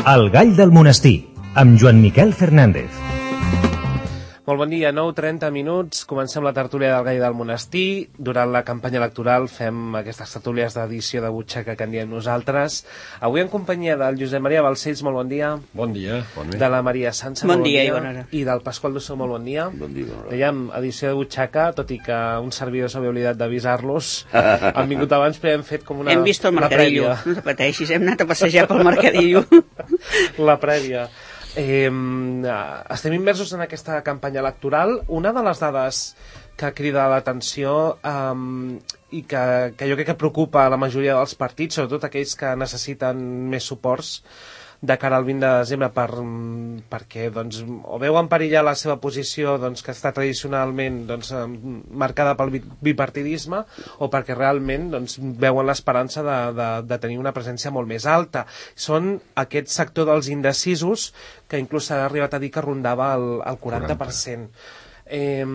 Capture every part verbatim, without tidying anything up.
El gall del monestir, amb Joan Miquel Fernández. Molt bon dia, nou trenta minuts, comencem la tertúlia del gall del monestir. Durant la campanya electoral fem aquestes tertúlies d'edició de butxaca que en diem nosaltres. Avui en companyia del Josep Maria Balcells, molt bon dia. Bon dia, bon dia. De la Maria Sança, bon molt bon dia. dia. I, bona hora. I del Pasqual Dussó, molt bon dia. Bon dia, bona hora. Dèiem edició de butxaca, tot i que un servidor s'havia oblidat d'avisar-los. Han vingut abans, però hem fet com una... Hem vist el mercadillo, no te pateixis, hem anat a passejar pel mercadillo. La prèvia. Eh, estem immersos en aquesta campanya electoral. Una de les dades que crida l'atenció eh, i que, que jo crec que preocupa a la majoria dels partits, sobretot aquells que necessiten més suports de cara al vint de desembre per, perquè doncs, o veuen perillar la seva posició doncs, que està tradicionalment doncs, marcada pel bipartidisme, o perquè realment doncs, veuen l'esperança de, de, de tenir una presència molt més alta. Són aquest sector dels indecisos que inclús s'ha arribat a dir que rondava el, el quaranta per cent. Eh,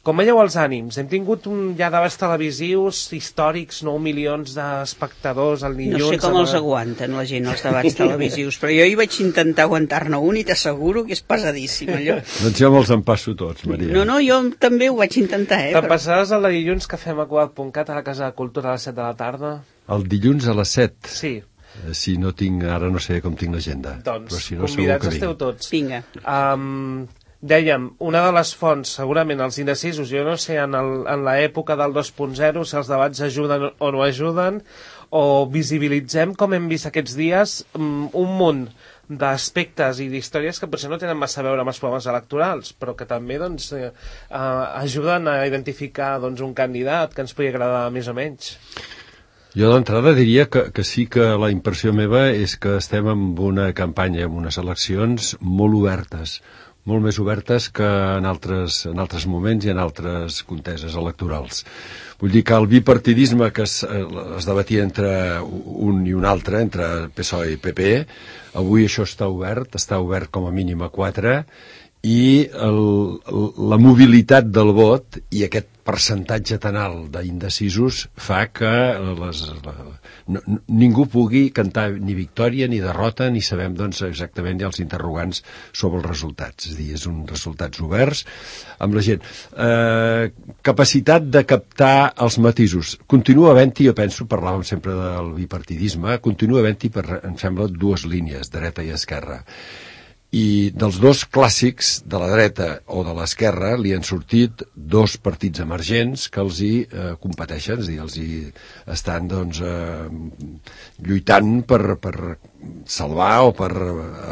com veieu els ànims? Hem tingut un, ja debats televisius històrics, nou milions d'espectadors al dilluns. No sé com els aguanten la gent, els debats televisius, però jo hi vaig intentar aguantar-ne un i t'asseguro que és pesadíssim, allò. Doncs jo me'ls empasso tots, Maria. No, no, jo també ho vaig intentar, eh? Te'n Però... passaràs el de dilluns que fem a Cugat punt cat a la Casa de Cultura a les set de la tarda? El dilluns a les set? Sí. Si no tinc, ara no sé com tinc l'agenda. Doncs, si no, convidats esteu tots. Vinga. Um, dèiem, una de les fonts, segurament els indecisos, jo no sé, en, el, en l'època del dos punt zero, si els debats ajuden o no ajuden, o visibilitzem, com hem vist aquests dies, um, un munt d'aspectes i d'històries que potser no tenen massa a veure amb els programes electorals, però que també doncs, eh, uh, ajuden a identificar doncs, un candidat que ens pugui agradar més o menys. Jo d'entrada diria que, que sí que la impressió meva és que estem en una campanya, en unes eleccions molt obertes, molt més obertes que en altres, en altres moments i en altres conteses electorals. Vull dir que el bipartidisme que es, es debatia entre un i un altre, entre P S O E i P P, avui això està obert, està obert com a mínim a quatre, i el, la mobilitat del vot i aquest percentatge tan alt d'indecisos fa que les, la, no, ningú pugui cantar ni victòria ni derrota, ni sabem doncs, exactament els interrogants sobre els resultats. És a dir, és uns resultats oberts amb la gent. Eh, capacitat de captar els matisos. Continua havent-hi, jo penso, parlàvem sempre del bipartidisme, continua havent-hi, per, em sembla, dues línies, dreta i esquerra. I dels dos clàssics, de la dreta o de l'esquerra, li han sortit dos partits emergents que els hi eh, competeixen, és a dir, els hi estan doncs, eh, lluitant per, per salvar o per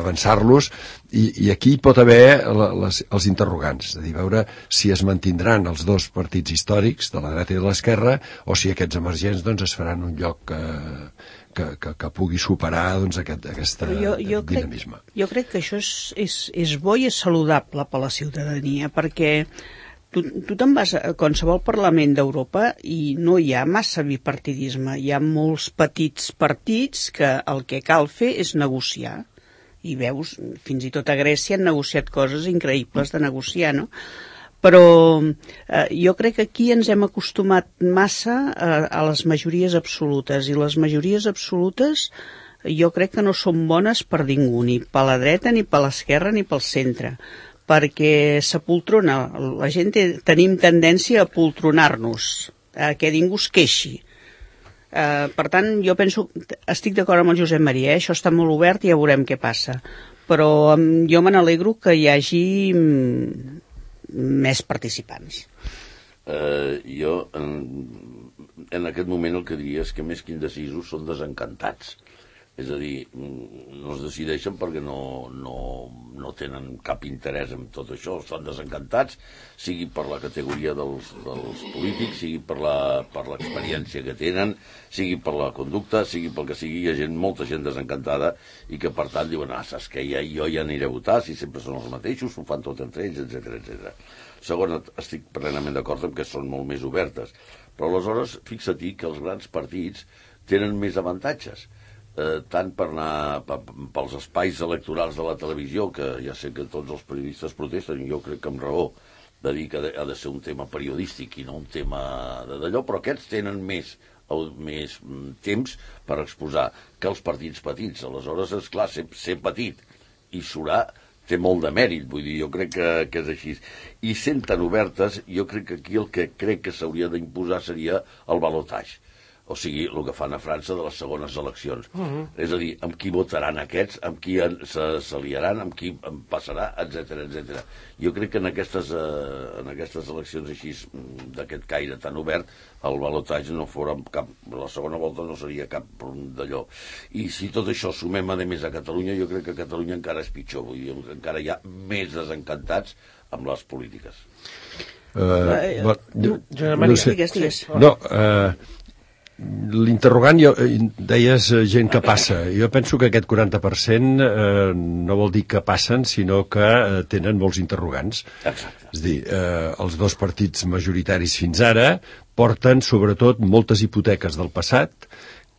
avançar-los, i, i aquí pot haver la, les, els interrogants, és a dir, veure si es mantindran els dos partits històrics, de la dreta i de l'esquerra, o si aquests emergents doncs, es faran un lloc eh, Que, que, que pugui superar doncs, aquest aquesta jo, jo dinamisme. Crec, jo crec que això és, és, és bo i és saludable per la ciutadania, perquè tu, tu te'n vas a qualsevol Parlament d'Europa i no hi ha massa bipartidisme, hi ha molts petits partits que el que cal fer és negociar, i veus, fins i tot a Grècia han negociat coses increïbles de negociar, no? Però eh, jo crec que aquí ens hem acostumat massa a, a les majories absolutes, i les majories absolutes jo crec que no són bones per ningú, ni per la dreta, ni per l'esquerra, ni pel centre, perquè s'apoltrona, la gent té, tenim tendència a apoltronar-nos, a que ningú es queixi. Eh, per tant, jo penso, estic d'acord amb el Josep Maria, eh? Això està molt obert i ja veurem què passa, però eh, jo me n'alegro que hi hagi més participants. Uh, jo en, en aquest moment el que diria és que més que indecisos són desencantats, és a dir, no es decideixen perquè no, no, no tenen cap interès en tot això, estan desencantats, sigui per la categoria dels, dels polítics, sigui per la, per l'experiència que tenen, sigui per la conducta, sigui pel que sigui, hi ha gent, molta gent desencantada i que per tant diuen, ah, saps què, ja, jo ja aniré a votar, si sempre són els mateixos, ho fan tot entre ells, etcètera, etcètera. Segon, estic plenament d'acord amb que són molt més obertes, però aleshores fixa-t'hi que els grans partits tenen més avantatges, eh, tant per anar per, pels espais electorals de la televisió, que ja sé que tots els periodistes protesten, i jo crec que amb raó, de dir que ha de ser un tema periodístic i no un tema d'allò, però aquests tenen més més temps per exposar que els partits petits. Aleshores, és clar, ser, ser petit i surar té molt de mèrit, vull dir, jo crec que, que és així. I sent tan obertes, jo crec que aquí el que crec que s'hauria d'imposar seria el balotatge. O sigui, el que fan a França de les segones eleccions. Uh-huh. És a dir, amb qui votaran aquests, amb qui s'aliaran, amb qui en passarà, etcètera, etcètera. Jo crec que en aquestes, eh, en aquestes eleccions així, d'aquest caire tan obert, el balotatge no fora cap... La segona volta no seria cap d'allò. I si tot això sumem, a més, a Catalunya, jo crec que a Catalunya encara és pitjor. Vull dir, encara hi ha més desencantats amb les polítiques. Uh, uh, no, no sé. Digues, digues. No, uh, l'interrogant, jo, deies gent que passa. Jo penso que aquest quaranta per cent eh, no vol dir que passen, sinó que eh, tenen molts interrogants. Exacte. És a dir, eh, els dos partits majoritaris fins ara porten, sobretot, moltes hipoteques del passat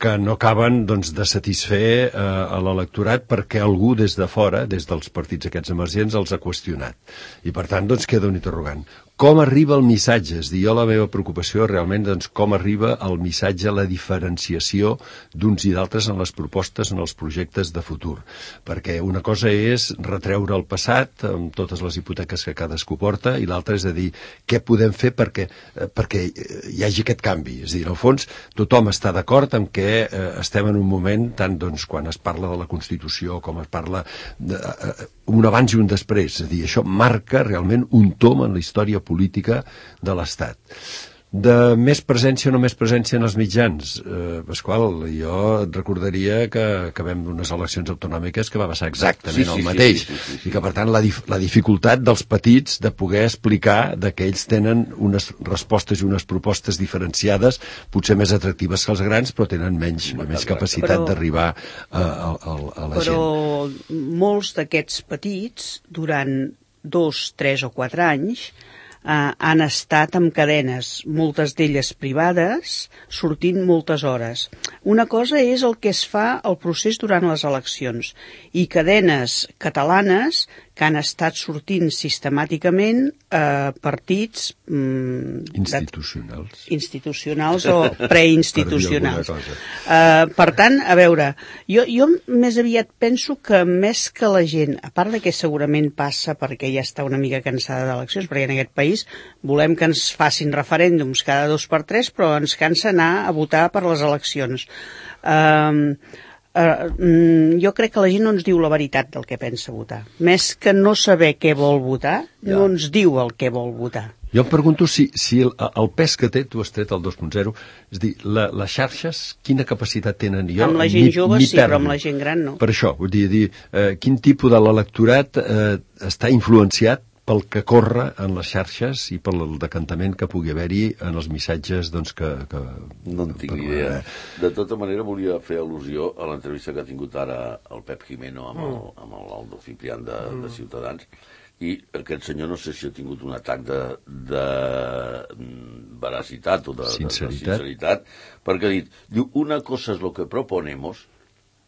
que no acaben doncs, de satisfer eh, a l'electorat perquè algú des de fora, des dels partits aquests emergents, els ha qüestionat. I per tant, doncs, queda un interrogant. Com arriba el missatge? És dir, jo la meva preocupació realment, doncs, com arriba el missatge, la diferenciació d'uns i d'altres en les propostes, en els projectes de futur. Perquè una cosa és retreure el passat amb totes les hipoteques que cadascú porta i l'altra és a dir, què podem fer perquè, eh, perquè hi hagi aquest canvi. És a dir, al fons, tothom està d'acord amb que eh, estem en un moment, tant doncs, quan es parla de la Constitució com es parla de, eh, un abans i un després. És a dir, això marca realment un tom en la història política de l'Estat. De més presència o no més presència en els mitjans, eh, Pasqual, jo et recordaria que acabem d'unes eleccions autonòmiques que va passar exactament sí, sí, el mateix, sí, sí, sí, sí. I que per tant la, dif la dificultat dels petits de poder explicar de que ells tenen unes respostes i unes propostes diferenciades, potser més atractives que els grans, però tenen menys, menys capacitat d'arribar a, a, a, a la però gent. Però molts d'aquests petits, durant dos, tres o quatre anys, Uh, han estat amb cadenes, moltes d'elles privades, sortint moltes hores. Una cosa és el que es fa el procés durant les eleccions i cadenes catalanes que han estat sortint sistemàticament eh, partits mm, institucionals. institucionals o preinstitucionals. Uh, per tant, a veure, jo, jo més aviat penso que més que la gent, a part de que segurament passa perquè ja està una mica cansada d'eleccions, perquè en aquest país volem que ens facin referèndums cada dos per tres, però ens cansa anar a votar per les eleccions. Uh, Uh, jo crec que la gent no ens diu la veritat del que pensa votar. Més que no saber què vol votar, ja. No ens diu el que vol votar. Jo em pregunto si, si el, el pes que té, tu has tret el dos punt zero, és dir, la, les xarxes, quina capacitat tenen? Jo, amb la gent jove sí, però amb la gent gran no. Per això, vull dir, dir eh, quin tipus de l'electorat eh, està influenciat pel que corre en les xarxes i pel decantament que pugui haver-hi en els missatges doncs, que, que... No en tinc idea. De tota manera, volia fer al·lusió a l'entrevista que ha tingut ara el Pep Jimeno amb el, amb el Aldo Ciprián de, de Ciutadans, i aquest senyor no sé si ha tingut un atac de, de veracitat o de sinceritat. de, de sinceritat, perquè ha dit, diu, una cosa és lo que proponemos.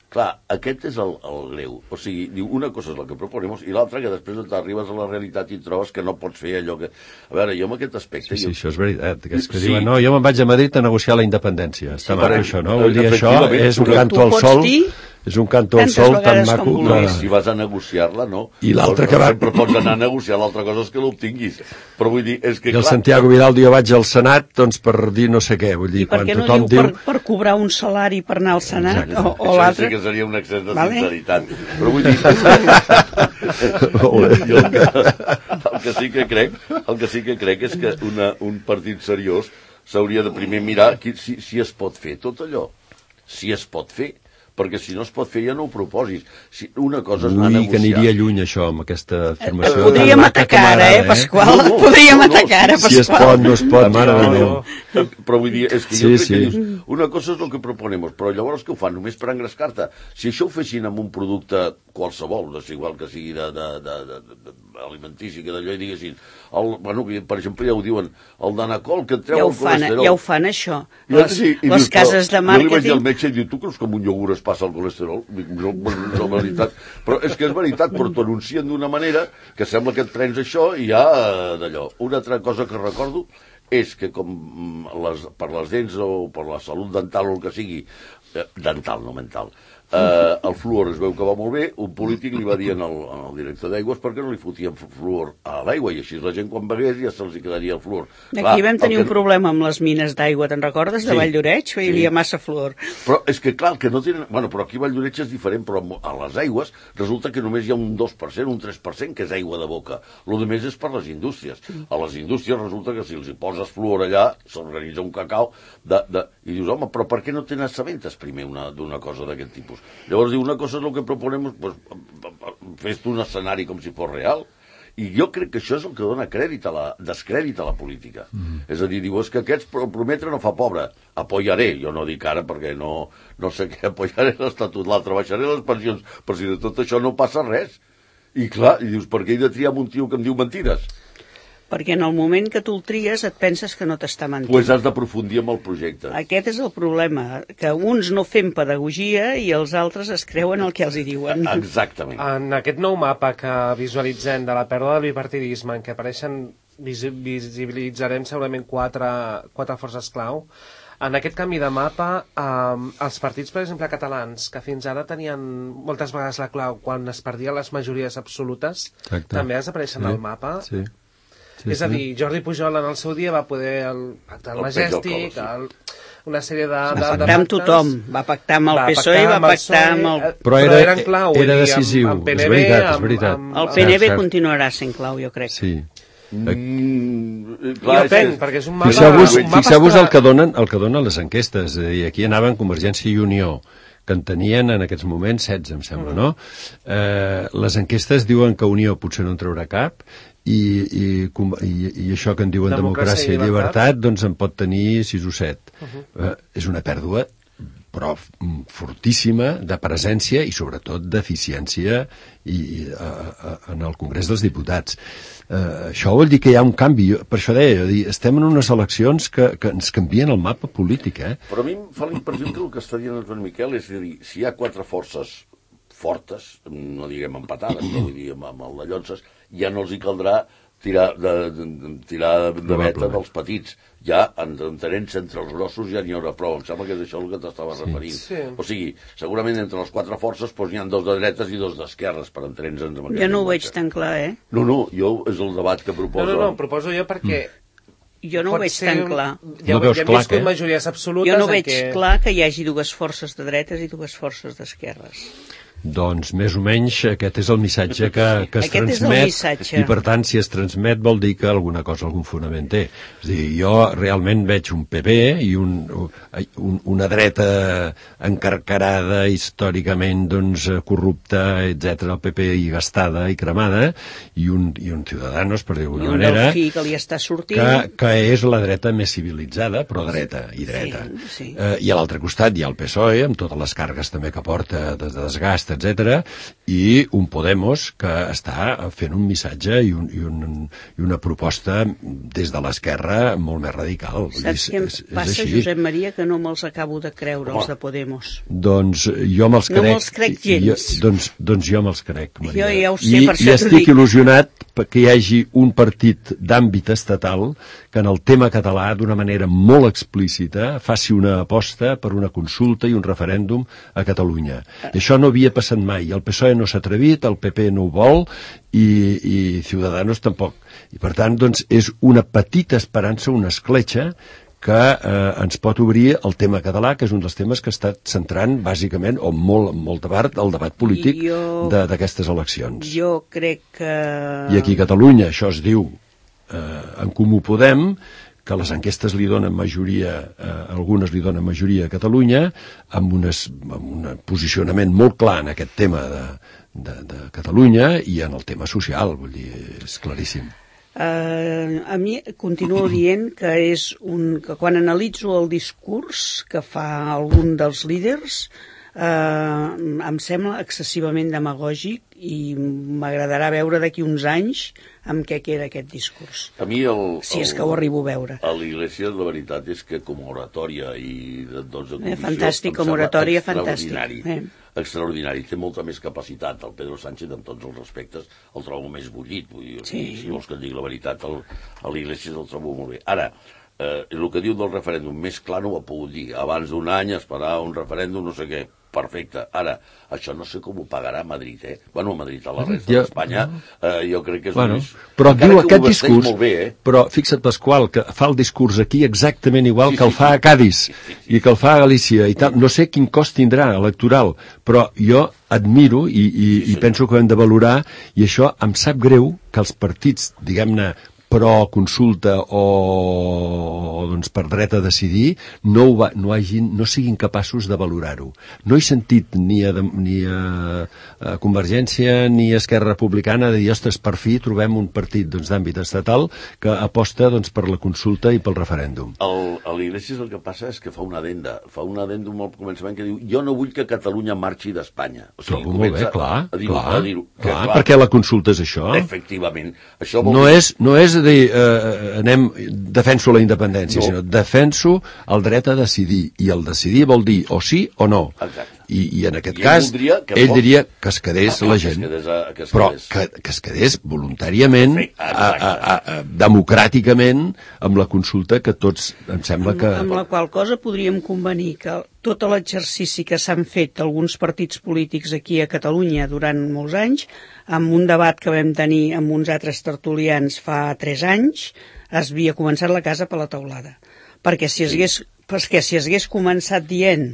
Clar, aquest és el, el greu. O sigui, diu, una cosa és el que proponemos i l'altra que després t'arribes a la realitat i trobes que no pots fer allò que... A veure, jo amb aquest aspecte... Sí, sí, jo... això és veritat. Que és que sí. diuen, no, jo me'n vaig a Madrid a negociar la independència. Està sí, maco això, no? Vull dir, això és un tu, canto al sol... Dir? És un canto al sol tan maco que... Si vas a negociar-la, no. I l'altre que va... Sempre pots anar a negociar, l'altra cosa és que l'obtinguis. Però vull dir, és que... I el clar... Santiago Vidal diu, jo vaig al Senat, doncs per dir no sé què. Vull dir, I per quan què no tothom diu, diu... Per, per cobrar un salari per anar al Senat? Exacte. O, o l'altre... Sí que seria un excés de vale. sinceritat. Però vull dir... jo el, que, el que sí que crec, el que sí que crec és que una, un partit seriós s'hauria de primer mirar qui, si, si es pot fer tot allò. Si es pot fer. Perquè si no es pot fer ja no ho proposis. Si una cosa és anar a negociar... que aniria lluny això, amb aquesta afirmació. Podríem atacar ara, eh, Pasqual? No, no, Podríem no, no, atacar ara, Pasqual. Si es pot, no es pot, mare de Déu. Però vull dir, és que sí, jo crec sí. que dius, una cosa és el que proponemos, però llavors què ho fan? Només per engrescar-te? Si això ho fessin amb un producte qualsevol, no sé, igual que sigui de, de, de, de, de alimentici, que d'allò i diguessin, el, bueno, per exemple, ja ho diuen, el Danacol, que et treu ja el colesterol. Ja ho fan, això. Ja, Les, sí, les dius, cases de màrqueting... Jo li vaig dir al metge i diu, tu creus que amb un iogurt es passa el colesterol? No, no, és veritat. Però és que és veritat, però t'ho anuncien d'una manera que sembla que et prens això i ja d'allò. Una altra cosa que recordo és que com les, per les dents o per la salut dental o el que sigui, eh, dental, no mental, eh, el fluor es veu que va molt bé, un polític li va dir al, al director d'aigües perquè no li fotien fluor a l'aigua, i així la gent quan begués ja se'ls quedaria el fluor. Aquí Clar, vam tenir que... un problema amb les mines d'aigua, te'n recordes, de Sí, Valldoreix? Hi havia sí. massa fluor. Però és que, clar, que no tenen... Bueno, però aquí a Valldoreix és diferent, però a les aigües resulta que només hi ha un dos per cent, un tres per cent, que és aigua de boca. Lo de més és per les indústries. A les indústries resulta que si els hi poses fluor allà, s'organitza un cacau de, de... i dius, home, però per què no te n'assabentes primer d'una cosa d'aquest tipus? Llavors diu, una cosa és el que proponem, pues, fes-te un escenari com si fos real. I jo crec que això és el que dona crèdit a la, descrèdit a la política. Mm. És a dir, diu, és que aquests prometre no fa pobre. Apoyaré, jo no dic ara perquè no, no sé què, apoyaré l'Estatut, l'altre, baixaré les pensions, però si de tot això no passa res. I clar, i dius, per què he de triar un tio que em diu mentides? Perquè en el moment que tu el tries et penses que no t'està mentint. Doncs pues has d'aprofundir amb el projecte. Aquest és el problema, que uns no fem pedagogia i els altres es creuen el que els hi diuen. Exactament. En aquest nou mapa que visualitzem de la pèrdua del bipartidisme, en què apareixen, visi visibilitzarem segurament quatre, quatre forces clau, en aquest canvi de mapa, eh, els partits, per exemple, catalans, que fins ara tenien moltes vegades la clau quan es perdien les majories absolutes, Exacte. també desapareixen sí. al mapa. Sí. Sí, és a dir, Jordi Pujol en el seu dia va poder el pactar el, el Majestic, el, una sèrie de... Va de, pactar de amb tothom, va pactar amb el P S O E, va pactar amb el... Però era, eren clau, era decisiu, amb, amb P N B, és veritat, és veritat. Amb, amb, el P N B continuarà sent clau, jo crec. Sí. Mm, clar, jo penso, perquè és un mapa... Fixeu-vos fixeu el, que donen, el que donen les enquestes, és a dir, aquí anaven Convergència i Unió, que en tenien en aquests moments setze, em sembla, no? Eh, les enquestes diuen que Unió potser no en traurà cap, i, i, i, i això que en diuen democràcia, democràcia i llibertat, llibertat, doncs en pot tenir sis o set. Uh -huh. eh, és una pèrdua, però fortíssima, de presència i sobretot d'eficiència i, a, a, en el Congrés dels Diputats. Eh, això vol dir que hi ha un canvi. Per això deia, dir, estem en unes eleccions que, que ens canvien el mapa polític. Eh? Però a mi em fa la impressió que el que està dient el Joan Miquel és a dir, si hi ha quatre forces fortes, no diguem empatades, però vull dir amb, amb el de Llonses, ja no els hi caldrà tirar de, de, de, tirar de veta dels petits. Ja, entenent-se entre els grossos, ja n'hi haurà prou. Em sembla que és això el que t'estava sí. referint. Sí. O sigui, segurament entre les quatre forces doncs, n'hi ha dos de dretes i dos d'esquerres, per entendre'ns amb aquest Jo no ho veig tan clar, eh? No, no, jo és el debat que proposo. No, no, no, proposo jo perquè... Mm. Jo no ho veig tan clar. Ja, no veus ja hem clar, viscut eh? majories absolutes... Jo no veig que... clar que hi hagi dues forces de dretes i dues forces d'esquerres. Doncs més o menys aquest és el missatge que, que es aquest transmet i per tant si es transmet vol dir que alguna cosa, algun fonament té. És a dir, jo realment veig un P P i un, un, una dreta encarcarada històricament doncs, corrupta, etcètera, el P P i gastada i cremada i un, i un Ciudadanos, per dir-ho d'alguna manera, que, li està sortint. que, que és la dreta més civilitzada, però dreta i dreta. Sí, sí. Eh, I a l'altre costat hi ha el P S O E, amb totes les cargues també que porta de, de desgast, etcètera, i un Podemos que està fent un missatge i, un, i, un, i una proposta des de l'esquerra molt més radical. Saps què em és, passa, és Josep Maria, que no me'ls acabo de creure, oh. els de Podemos? Doncs jo me'ls crec. No me'ls crec gens. Jo, doncs, doncs jo me'ls crec, Maria. Jo ja ho sé, I, per I estic dic. il·lusionat que hi hagi un partit d'àmbit estatal que en el tema català, d'una manera molt explícita, faci una aposta per una consulta i un referèndum a Catalunya. Ah. Això no havia passat mai. El P S O E no s'ha atrevit, el P P no ho vol i, i Ciudadanos tampoc. I per tant, doncs, és una petita esperança, una escletxa que eh, ens pot obrir el tema català, que és un dels temes que ha estat centrant bàsicament, o molt, molta part, el debat polític d'aquestes de, eleccions. Jo crec que... I aquí a Catalunya això es diu eh, en Comú Podem, que les enquestes li donen majoria, eh, algunes li donen majoria a Catalunya, amb, unes, amb un posicionament molt clar en aquest tema de, de, de Catalunya i en el tema social, vull dir, és claríssim. Uh, a mi continuo dient que és un, que quan analitzo el discurs que fa algun dels líders uh, em sembla excessivament demagògic i m'agradarà veure d'aquí uns anys amb què queda aquest discurs. A mi el, si és que ho arribo a veure. A l'Iglésia la veritat és que com a oratòria i de, doncs, de comissió... Eh, fantàstic, com a oratòria, fantàstic. Eh. Extraordinari, té molta més capacitat. El Pedro Sánchez, amb tots els respectes, el trobo més bullit. Vull dir, sí. Si vols que et digui la veritat, el, a l'Iglésia el trobo molt bé. Ara, eh, el que diu del referèndum, més clar no ho ha pogut dir. Abans d'un any esperar un referèndum, no sé què. Perfecte. Ara, això no sé com ho pagarà Madrid, eh? Bueno, Madrid, a la resta ja, d'Espanya, eh, jo crec que és bueno, un... Però diu aquest ho discurs, molt bé, eh? però fixa't, Pasqual, que fa el discurs aquí exactament igual sí, que el sí, fa sí. a Cádiz sí, sí, sí. i que el fa a Galícia i tal. No sé quin cost tindrà electoral, però jo admiro i, i, sí, i penso que ho hem de valorar, i això em sap greu que els partits, diguem-ne, pro consulta o, o doncs per dret a decidir no, ho va, no, hagin, no siguin capaços de valorar-ho. No he sentit ni a, ni a, a Convergència ni a Esquerra Republicana de dir, ostres, per fi trobem un partit doncs, d'àmbit estatal que aposta doncs, per la consulta i pel referèndum. El, a l'Iglesias el que passa és que fa una adenda, fa un adendum al començament que diu jo no vull que Catalunya marxi d'Espanya. O sigui, trobo molt bé, clar, a dir, clar, a dir que, clar, clar, perquè la consulta és això. Efectivament. Això vol no, dir... és, no és dir, eh, anem, defenso la independència, no. sinó defenso el dret a decidir, i el decidir vol dir o sí o no. Exacte. I, i en aquest I cas, ell, que ell pot... diria que es quedés ah, la que gent, es quedés a, que es però quedés. que, que es quedés voluntàriament, Perfecte, a, a, a, a, democràticament, amb la consulta que tots, em sembla que... Amb, amb la qual cosa podríem convenir que tot l'exercici que s'han fet alguns partits polítics aquí a Catalunya durant molts anys, amb un debat que vam tenir amb uns altres tertulians fa tres anys, es havia començat la casa per la teulada. Perquè si es hagués, perquè si es hagués començat dient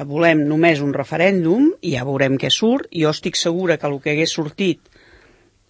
volem només un referèndum i ja veurem què surt, jo estic segura que el que hagués sortit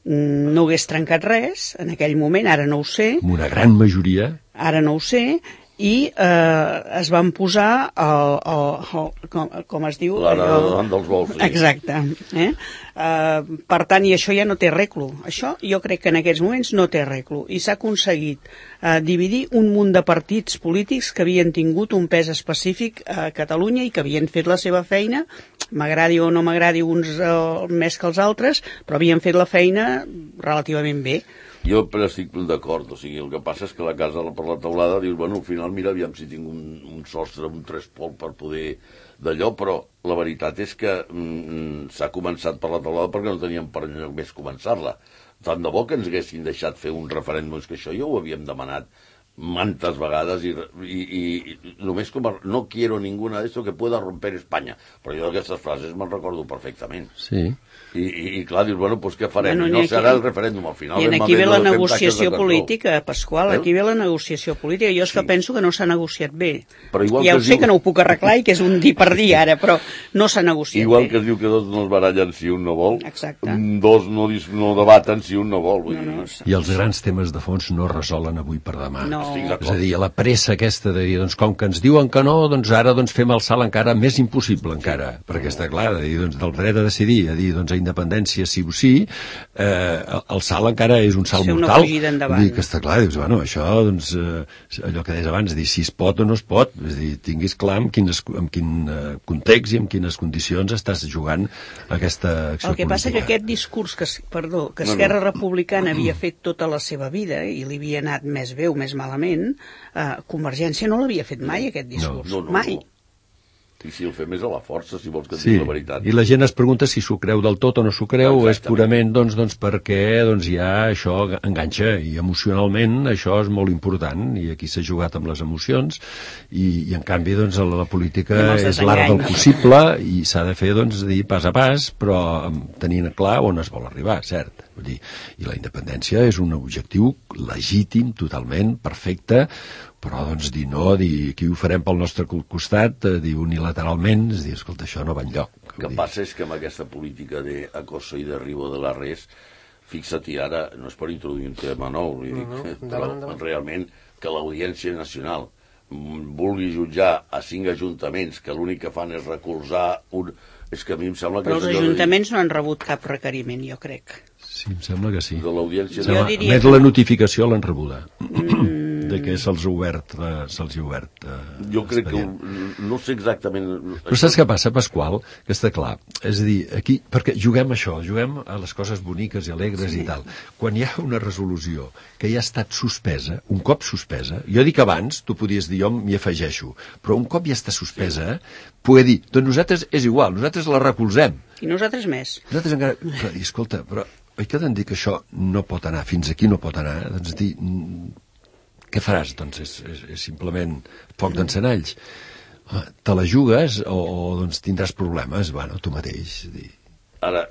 no hagués trencat res en aquell moment, ara no ho sé. Amb una gran majoria. Ara no ho sé, i eh, es van posar el, el, el, com, com es diu? L'ara davant dels vols. Sí. Exacte. Eh? Uh, per tant, i això ja no té arreglo. Això jo crec que en aquests moments no té arreglo. I s'ha aconseguit uh, dividir un munt de partits polítics que havien tingut un pes específic a Catalunya i que havien fet la seva feina, m'agradi o no m'agradi uns uh, més que els altres, però havien fet la feina relativament bé. Jo però estic d'acord, o sigui, el que passa és que la casa per la teulada dius, bueno, al final mira, aviam si tinc un, un sostre, un trespol per poder d'allò, però la veritat és que mm, s'ha començat per la teulada perquè no teníem per enlloc més començar-la. Tant de bo que ens haguessin deixat fer un referèndum, és que això ja ho havíem demanat mantes vegades i, i, i només com a, no quiero ninguna de esto que pueda romper Espanya, però jo d'aquestes frases me'n recordo perfectament. Sí. I, i, i clar, dius, bueno, doncs què farem? Bueno, I no aquí, serà el referèndum, al final... I aquí ve la negociació política, Pasqual, eh? aquí ve la negociació política. Jo és sí. que penso que no s'ha negociat bé. Però igual ja que ho sé diu... que no ho puc arreglar i que és un dir per dir ara, però no s'ha negociat igual bé. Igual que es diu que dos no es barallen si un no vol, exacte. dos no, no debaten si un no vol. Vull no, no, dir. I els grans temes de fons no es resolen avui per demà. No. És a dir, la pressa aquesta de dir, doncs com que ens diuen que no, doncs ara doncs fem el salt encara més impossible encara, sí. perquè està clar, de dir, doncs, del dret a decidir, a dir, doncs a independència sí o sí, eh, el salt encara és un salt sí, mortal. Vull dir que està clar, dius, bueno, això, doncs, eh, allò que deies abans, dir si es pot o no es pot, és dir, tinguis clar en, quines, en quin eh, context i en quines condicions estàs jugant aquesta acció política. El que passa que aquest discurs que, perdó, que Esquerra no, no. Republicana havia fet tota la seva vida i li havia anat més bé o més malament, eh, Convergència no l'havia fet mai, aquest discurs. No, no, no, mai. No. I si el fem és a la força, si vols que et sí. digui la veritat. I la gent es pregunta si s'ho creu del tot o no s'ho creu, o és purament doncs, doncs, perquè doncs, ja això enganxa, i emocionalment això és molt important, i aquí s'ha jugat amb les emocions, i, i en canvi doncs, la, la política és l'art del possible, i s'ha de fer doncs, dir pas a pas, però tenint clar on es vol arribar, cert. Vull dir, i la independència és un objectiu legítim, totalment, perfecte, però doncs dir no, dir aquí ho farem pel nostre costat, dir unilateralment, és dir, escolta, això no va enlloc. El que passa és que amb aquesta política d'acoso i derribo de la res, fixa-t'hi ara, no és per introduir un tema nou, vull dir, no, no, però endavant. Realment que l'Audiència Nacional vulgui jutjar a cinc ajuntaments que l'únic que fan és recolzar un... És que a mi em sembla que... Però els ajuntaments dir... no han rebut cap requeriment, jo crec. Sí, em sembla que sí. De l'Audiència Nacional. Diria... Més la notificació l'han rebuda. Mm. De que se'ls ha obert, se'ls ha obert eh, jo crec expedient. Que no sé exactament... Però saps què passa, Pasqual? Que està clar. És a dir, aquí, perquè juguem això, juguem a les coses boniques i alegres sí. i tal. Quan hi ha una resolució que ja ha estat suspesa, un cop suspesa, jo dic abans, tu podies dir, jo m'hi afegeixo, però un cop ja està suspesa, sí. poder dir, doncs nosaltres és igual, nosaltres la recolzem. I nosaltres més. Nosaltres encara... Però, escolta, però oi que t'han dit que això no pot anar, fins aquí no pot anar? Doncs dir... què faràs? Doncs és, és, és simplement foc d'encenalls. Te la jugues o, o doncs tindràs problemes, bueno, tu mateix. Dir. Ara,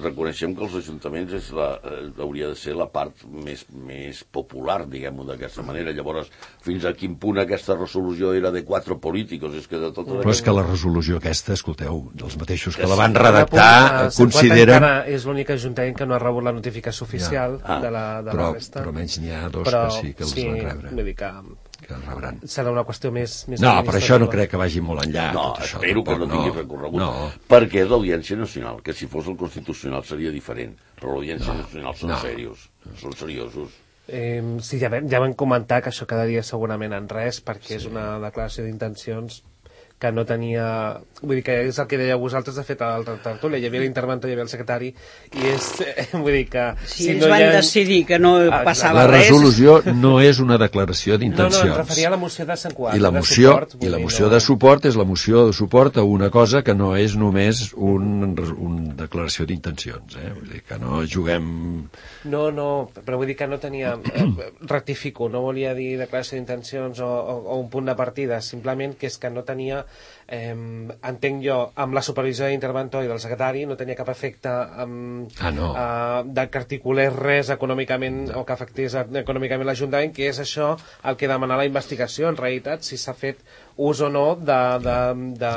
reconeixem que els ajuntaments és la, eh, hauria de ser la part més, més popular, diguem-ho d'aquesta manera. Llavors, fins a quin punt aquesta resolució era de quatre polítics? És que de tota Però és que la resolució aquesta, escolteu, dels mateixos que la van redactar, punt, consideren... És l'únic ajuntament que no ha rebut la notificació oficial ja. ah. de la, de però, la resta. Però menys n'hi ha dos però, que sí que els sí, van rebre. Vull dir que... que el rebran. Serà una qüestió més... més no, però això no crec que vagi molt enllà. No, tot això, espero tampoc, que no tingui recorregut. No. Perquè és l'Audiència Nacional, que si fos el Constitucional seria diferent. Però l'Audiència no, Nacional són no. serios, són seriosos. Eh, sí, ja vam, ja vam comentar que això quedaria segurament en res, perquè sí. és una declaració d'intencions que no tenia... Vull dir que és el que dèieu vosaltres, de fet, al tertúlia. Hi havia l'interventor, hi havia el secretari, i és... Vull dir que... Si, si ells no van ha... decidir que no ah, passava res... La resolució res... no és una declaració d'intencions. No, no, em referia a la moció de Sant Quart. I la moció, de, suport, i la moció no... de suport és la moció de suport a una cosa que no és només una un declaració d'intencions. Eh? Vull dir que no juguem... No, no, però vull dir que no tenia... rectifico, no volia dir declaració d'intencions o, o, o un punt de partida, simplement que és que no tenia... Eh, entenc jo, amb la supervisió de l'interventor i del secretari no tenia cap efecte um, ah, no. uh, de que articulés res econòmicament no. o que afectés econòmicament l'Ajuntament, que és això el que demana la investigació, en realitat, si s'ha fet ús o no de... de, de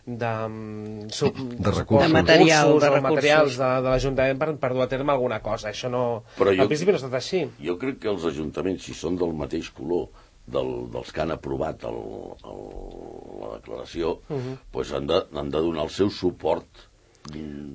de, de, sub, de, recursos. de material, de recursos. materials de, de l'Ajuntament per, per dur a terme alguna cosa. Això no... Però jo, al principi no ha estat així. Jo crec que els ajuntaments, si són del mateix color del, dels que han aprovat el, el, la declaració, uh -huh. pues han, de, han de donar el seu suport.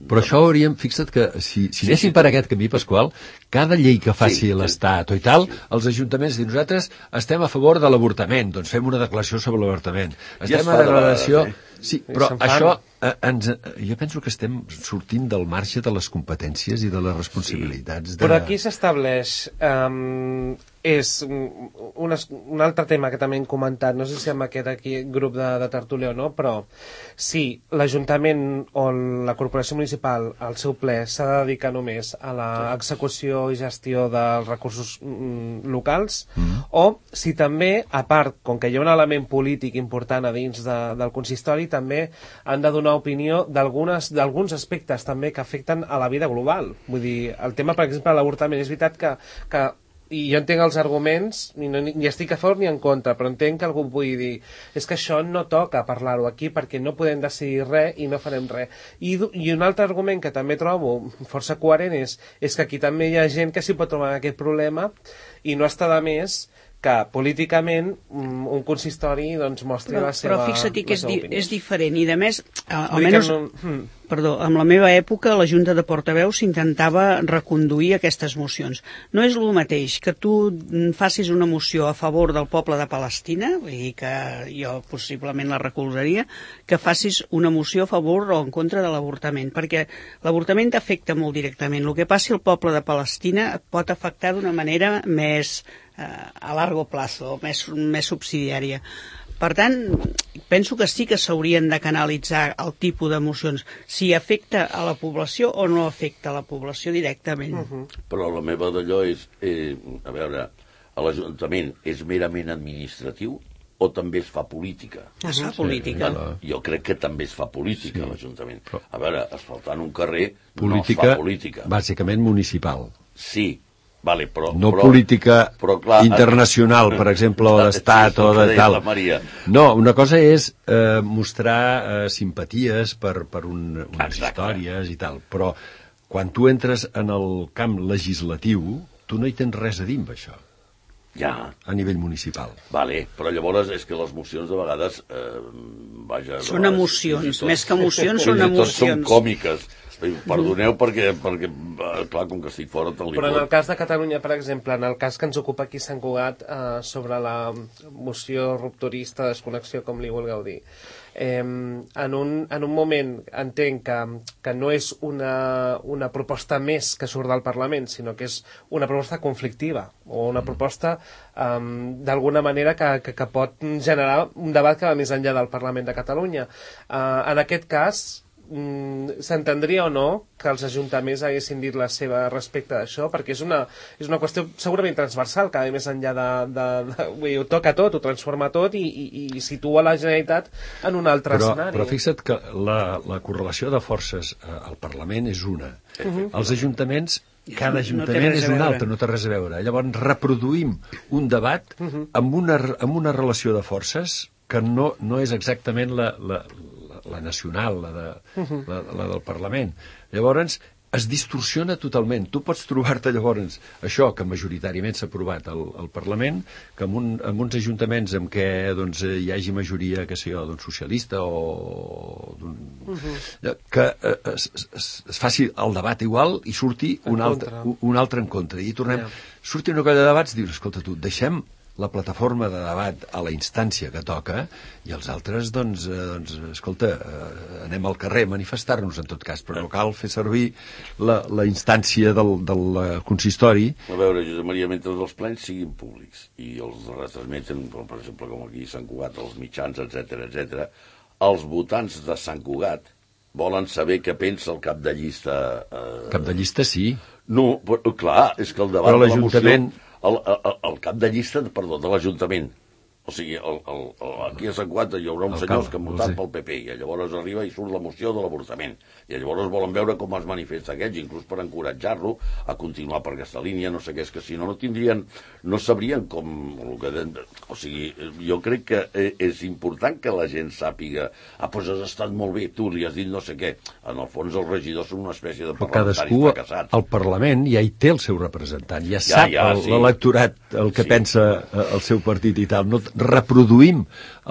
Però això hauríem, fixa't que si, si sí, anéssim sí, per aquest camí, Pasqual, cada llei que faci sí, l'Estat o i tal, sí. els ajuntaments diuen, nosaltres estem a favor de l'avortament, doncs fem una declaració sobre l'avortament. Estem ja a declaració... De sí, però això, eh, ens, jo penso que estem sortint del marge de les competències i de les responsabilitats. Sí. De... Però aquí s'estableix... Um, és un, un altre tema que també hem comentat, no sé si amb aquest aquí grup de, de tertúlia o no, però si l'Ajuntament o la Corporació Municipal al seu ple s'ha de dedicar només a l'execució i gestió dels recursos mm, locals, mm. o si també, a part, com que hi ha un element polític important a dins de, del consistori, també han de donar opinió d'alguns aspectes també que afecten a la vida global. Vull dir, el tema, per exemple, de l'avortament, és veritat que, que i jo entenc els arguments, ni, no, ni estic a favor ni en contra, però entenc que algú pugui dir és que això no toca parlar-ho aquí perquè no podem decidir res i no farem res. I, i un altre argument que també trobo força coherent és, és que aquí també hi ha gent que s'hi pot trobar aquest problema i no està de més que políticament un consistori doncs, mostri però, la seva Però fixa't que és, di opinió. És diferent i, a més, almenys, no... hmm. perdó, amb la meva època a la Junta de Portaveus s'intentava reconduir aquestes mocions. No és el mateix que tu facis una moció a favor del poble de Palestina, vull dir que jo possiblement la recolzaria, que facis una moció a favor o en contra de l'avortament, perquè l'avortament t'afecta molt directament. El que passi al poble de Palestina et pot afectar d'una manera més a largo plazo, més, més subsidiària. Per tant, penso que sí que s'haurien de canalitzar el tipus d'emocions, si afecta a la població o no afecta a la població directament. Uh -huh. Però la meva d'allò és, eh, a veure, l'Ajuntament és merament administratiu o també es fa política? Es fa política. Sí, jo crec que també es fa política, sí. l'Ajuntament. A veure, asfaltant un carrer política, no es fa política. Bàsicament municipal. Sí. Vale, però, no però, política però, clar, internacional, per exemple, o d'estat o de tal. No, una cosa és eh, mostrar eh, simpaties per, per un, unes Exacte. històries i tal, però quan tu entres en el camp legislatiu, tu no hi tens res a dir amb això. Ja. A nivell municipal. Vale, però llavors és que les mocions de vegades... Eh, vaja, són vegades, emocions, tot, més que emocions són emocions. Són còmiques. Perdoneu perquè, perquè, clar, com que estic fora te'l Però en el cas de Catalunya, per exemple, en el cas que ens ocupa aquí Sant Cugat, eh, sobre la moció rupturista, desconnexió, com li vulgueu dir, eh, en, un, en un moment entenc que, que no és una, una proposta més que surt del Parlament, sinó que és una proposta conflictiva, o una proposta eh, d'alguna manera que, que, que pot generar un debat que va més enllà del Parlament de Catalunya. Eh, en aquest cas, mm, s'entendria o no que els ajuntaments haguessin dit la seva respecte d'això, perquè és una, és una qüestió segurament transversal, que a més enllà de... de, de vull dir, ho toca tot, ho transforma tot i, i, i situa la Generalitat en un altre però, escenari. Però fixa't que la, la correlació de forces al Parlament és una. Uh-huh. Els ajuntaments, cada ajuntament no és un altre, no té res a veure. Llavors reproduïm un debat uh-huh. amb, una, amb una relació de forces que no, no és exactament la, la, la, la nacional, la, de, uh-huh. la, la del Parlament. Llavors, es distorsiona totalment. Tu pots trobar-te llavors això que majoritàriament s'ha aprovat al, al Parlament, que en, un, en uns ajuntaments en què doncs, hi hagi majoria, que sé jo, doncs, socialista o d'un, uh-huh. que eh, es, es, es faci el debat igual i surti un altre, un altre en contra. I tornem, yeah. surti una colla de debats i dius, escolta tu, deixem la plataforma de debat a la instància que toca i els altres, doncs, eh, doncs escolta, eh, anem al carrer a manifestar-nos en tot cas, però no cal fer servir la, la instància del, del consistori. A veure, Josep Maria, mentre els plens siguin públics i els retransmeten, per exemple, com aquí a Sant Cugat, els mitjans, etcètera, etcètera, els votants de Sant Cugat volen saber què pensa el cap de llista... Eh... Cap de llista, sí. No, però, clar, és que el debat però de la moció... El, el, el cap de llista, perdó, de l'Ajuntament. O sigui, el, el, el, aquí a Sant Cugat hi haurà uns senyors que han votat pel P P i llavors arriba i surt la moció de l'avortament. I llavors volen veure com es manifesta aquests, inclús per encoratjar-lo a continuar per aquesta línia, no sé què, és que si no, no tindrien, no sabrien com... El que, o sigui, jo crec que és important que la gent sàpiga ah, doncs has estat molt bé, tu li has dit no sé què. En el fons els regidors són una espècie de parlamentaris cadascú, fracassats. Al Parlament ja hi té el seu representant, ja, ja sap ja, sí. l'electorat el que sí. pensa el seu partit i tal. No reproduïm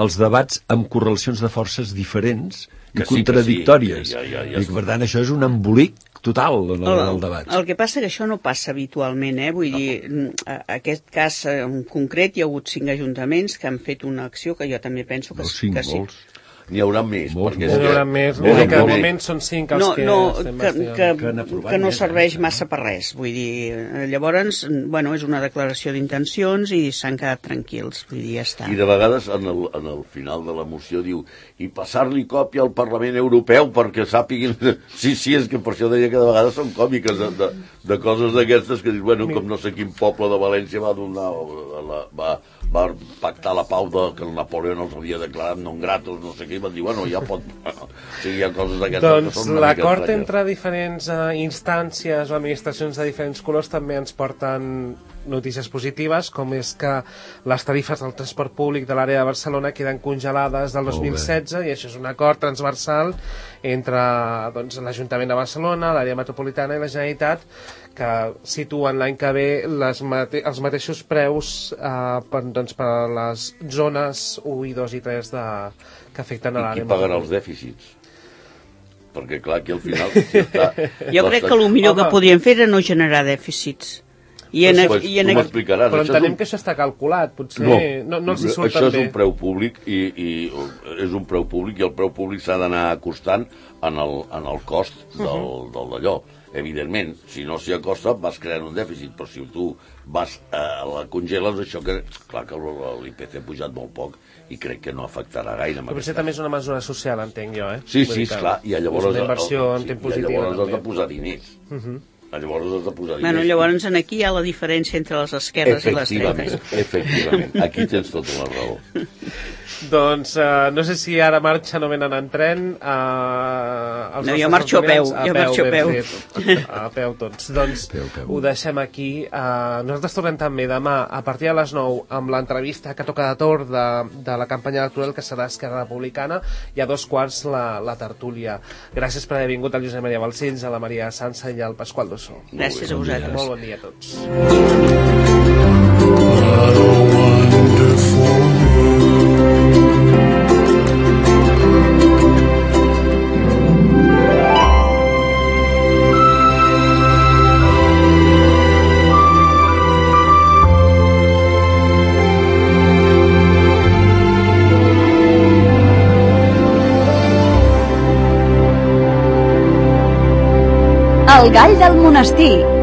els debats amb correlacions de forces diferents i sí, contradictòries. Sí. Ja, ja, ja, ja I, per tant, això és un embolic total en el, el debat. El que passa que això no passa habitualment, eh? Vull dir, en aquest cas en concret hi ha hagut cinc ajuntaments que han fet una acció que jo també penso que, no, cinc, que sí. Molts. N'hi haurà més. Molts, molts. N'hi haurà més. Vull dir que al moment són cinc els no, que no, estem que, que, que, que no serveix més, massa per res. Vull dir, llavors, bueno, és una declaració d'intencions i s'han quedat tranquils. Vull dir, ja està. I de vegades, en el, en el final de la moció, diu i passar-li còpia al Parlament Europeu perquè sàpiguin... Sí, sí, és que per això deia que de vegades són còmiques de, de, de coses d'aquestes que dius, bueno, com no sé quin poble de València va donar... La, va, va pactar la pau de, que el Napoleó els havia declarat non gratos, no sé què, i van dir, bueno, ja pot... O sigui, hi ha coses d'aquestes doncs, que són una l'acord mica entre diferents uh, instàncies o administracions de diferents colors també ens porten notícies positives, com és que les tarifes del transport públic de l'àrea de Barcelona queden congelades del dos mil setze i això és un acord transversal entre doncs, l'Ajuntament de Barcelona, l'àrea metropolitana i la Generalitat, que situen l'any que ve les mate els mateixos preus eh, per, doncs, per a les zones u i dos i tres de, que afecten a l'àrea. I qui pagarà els dèficits? Perquè clar, aquí al final... Si està, jo crec que el millor Home. que podien fer era no generar dèficits. I en, pues, i en, però entenem un... que això està calculat, potser no, no, no els hi surt això també. és un preu públic i, i és un preu públic i el preu públic s'ha d'anar acostant en el, en el cost del, uh-huh. del d'allò. Evidentment, si no s'hi acosta vas creant un dèficit, però si tu vas a eh, la congeles, això que clar que l'I P C ha pujat molt poc i crec que no afectarà gaire. Però potser també és una mesura social, entenc jo, eh? Sí, sí, esclar, i llavors, és una inversió en temps positiva. I llavors has de posar diners. Uh-huh. Llavors has de posar diners. Bueno, llavors en aquí hi ha la diferència entre les esquerres i les dretes. Efectivament, aquí tens tota la raó. Doncs uh, no sé si ara marxen o venen en tren. Uh, no, jo marxo a peu. A jo peu, marxo a peu. A peu tots. Doncs peu, peu. Ho deixem aquí. Uh, nosaltres tornem també demà a partir de les nou amb l'entrevista que toca de torn de, de la campanya electoral que serà Esquerra Republicana i a dos quarts la, la tertúlia. Gràcies per haver vingut al Josep Maria Balcells, a la Maria Sansa i al Pasqual Dossó. Gràcies a vosaltres. Molt bon dia a tots. El gall del monestir.